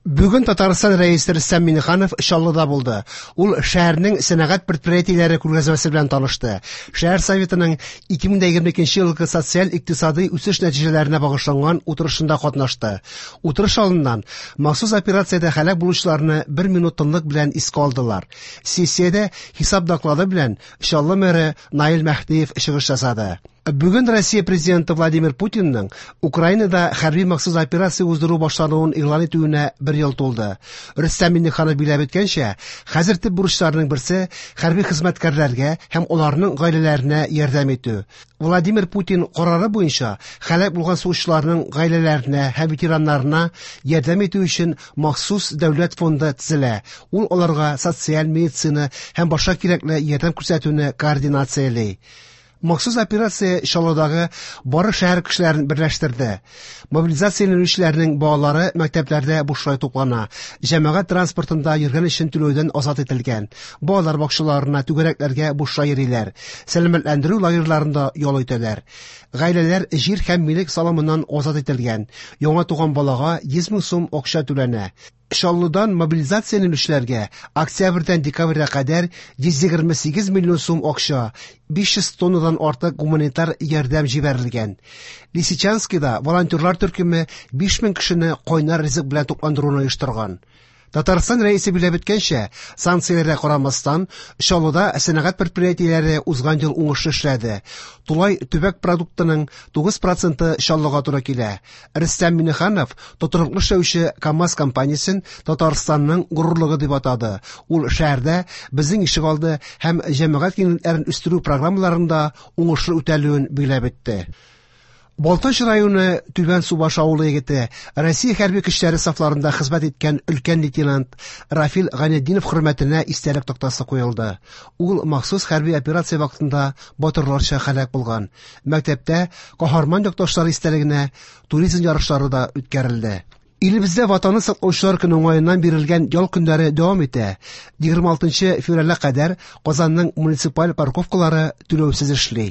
Бүген Татарстан Рәисе Рөстәм Миңнеханов Чаллыда булды. Ул шәһәрнең сәнәгать предприятиеләре күргәзмәсе белән танышты. Шәһәр советының 2022 елгы социаль-икътисадый үсеш нәтиҗәләренә багышланган утырышында катнашты. Утырыш алдыннан махсус операциядә һәлак булучыларны бер минут тынлык белән искә алдылар. Сессиядә хисап доклады белән Чаллы мэры Наил Мәһдиев чыгыш ясады. Бүген Россия президенты Владимир Путинның Украинада хәрби махсус операция уздыру башлануын игълан итүенә бер ел тулды. Рөстәм Миңнеханов билгеләп үткәнчә, хәзер төп бурычларның берсе хәрби хезмәткәрләргә һәм аларның гаиләләренә ярдәм итү. Владимир Путин карары буенча һәлак булган сугышчыларның гаиләләренә һәм ветераннарына ярдәм итү өчен махсус дәүләт фонды төзелә. Ул аларга социаль, медицина һәм башка кирәкле ярдәм күрсәтүне координацияли. Махсус операция Чаллыдагы бары шәһәр кешеләрен берләштерде. Мобилизацияләнүчеләрнең балалары мәктәпләрдә бушлай туклана, җәмәгать транспортында йөргән өчен түләүдән азат ителгән. Балалар бакчаларына, түгәрәкләргә бушлай йөриләр. Сәламәтләндерү лагерьларында ял итәләр. Гаиләләр җир һәм милек салымыннан азат ителгән. Яңа туган балага 100 мең сум акча түләнә. Чаллыдан мобилизацияләнүчеләргә октябрьдән декабрьгә кадәр 128 миллион сум акча, 500 тоннадан артык гуманитар ярдәм җибәрелгән. Лисичанскида волонтерлар төркеме 5000 кешене кайнар ризык белән тукландыруны оештырган. Татарстан Рәисе билгеләп үткәнчә, санкцияләргә карамастан, Чаллыда сәнәгать предприятиеләре узган ел уңышлы эшләде. Тулай төбәк продуктының 9 проценты Чаллыга туры килә. Рөстәм Миңнеханов тотрыклы эшләүче КАМАЗ компаниясен Татарстанның горурлыгы дип атады. Ул шәһәрдә безнең ишегалды һәм җәмәгать киңлекләрен үстерү программаларында уңышлы үтәлүен билгеләп үтте. Балтач районы Түбән Субаш авылы егете, Россия хәрби көчләре сафларында хезмәт иткән өлкән лейтенант Рафил Гайнетдинов хөрмәтенә истәлек тактасы куелды. Ул махсус хәрби операция вакытында батырларча һәлак булган. Мәктәптә каһарман якташлары истәлегенә туризм ярышлары да үткәрелде. Илебездә Ватанны саклаучылар көне уңаеннан бирелгән ял көннәре дәвам итә. 26 февральгә кадәр Казанның муниципаль парковкалары түләүсез эшли.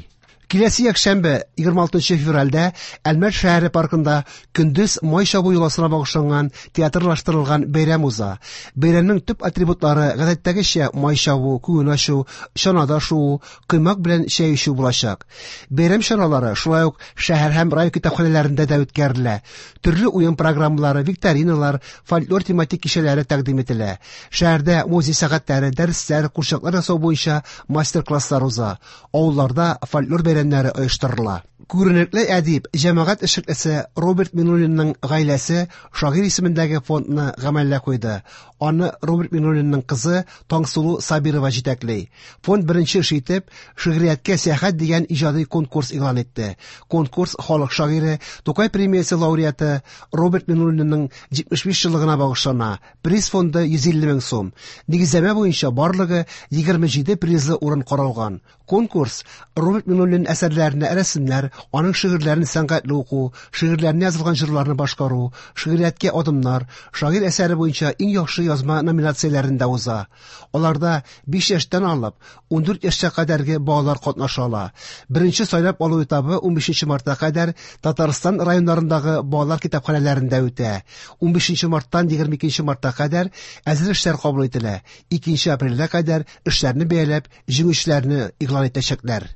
Киләсе якшәмбе, 26 февральдә Әлмәт шәһәре паркында көндез май чабу йоласына багышланган театрлаштырылган бәйрәм уза. Бәйрәмнең төп атрибутлары гадәттәгечә май чабу, күңел ачу, чанада шуу, коймак белән чәй эчү булачак. Бәйрәм чаралары шулай ук шәһәр һәм район китапханәләрендә дә үткәрелә. Төрле уен программалары, викториналар, фольклор тематик кичәләре тәкъдим ителә. Шәһәрдә музей сәгатьләре, дәресләр, курчаклар ясау буенча мастер-класслар уза. Авылларда фольклор бәйрәмнәре оештырыла. Күренекле әдип, җәмәгать эшлеклесе Роберт Миңнуллинның гаиләсе шагыйрь исемендәге фондны гамәлгә куйды. Аны Роберт Миңнуллинның кызы Таңсылу Сабирова җитәкли. Фонд беренче эш итеп «Шигърияткә сәяхәт» дигән иҗади конкурс игълан итте. Конкурс халык шагыйре, Тукай премиясе лауреаты Роберт Миңнуллинның 75 еллыгына багышлана. Приз фонды 150 мең сум. Нигезләмә буенча барлыгы 27 призлы урын каралган. Конкурс Роберт Миңнуллин әсәрләренә рәсемнәр, аның шигырьләрен сәнгатьле уку, шигырьләренә язылган җырларны башкару, шигърияткә адымнар, шагыйрь әсәре буенча иң яхшы язма номинацияләрендә уза. Аларда 5 яшьтән алып 14 яшькә кадәрге балалар катнаша ала. Беренче сайлап алу этабы 15 мартка кадәр Татарстан районнарындагы балалар китапханәләрендә үтә. 15 марттан 22 мартка кадәр әзер эшләр кабул ителә. 2 апрельгә кадәр эшләрне бәяләп, җиңүчеләрне игълан итәчәкләр.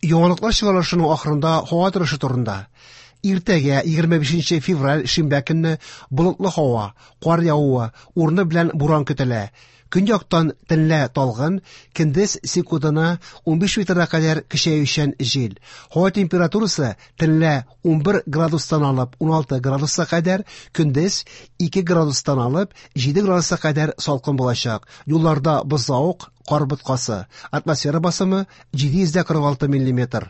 Яңалыклар чыгарылышының ахырында һава торышы турында. Иртәгә 25 февраль шимбә көнне болытлы һава, кар явуы, урыны белән буран көтелә. Көньяктан төнлә талгын, көндез секундына 15 метрга кадәр көчәючән җил. Һава температурасы төнлә 11 градустан алып 16 градуска кадәр, көндез 2 градустан алып 7 градуска кадәр салкын булачак. Юлларда бозлавык, кар боткасы. Атмосфера басымы 746 миллиметр.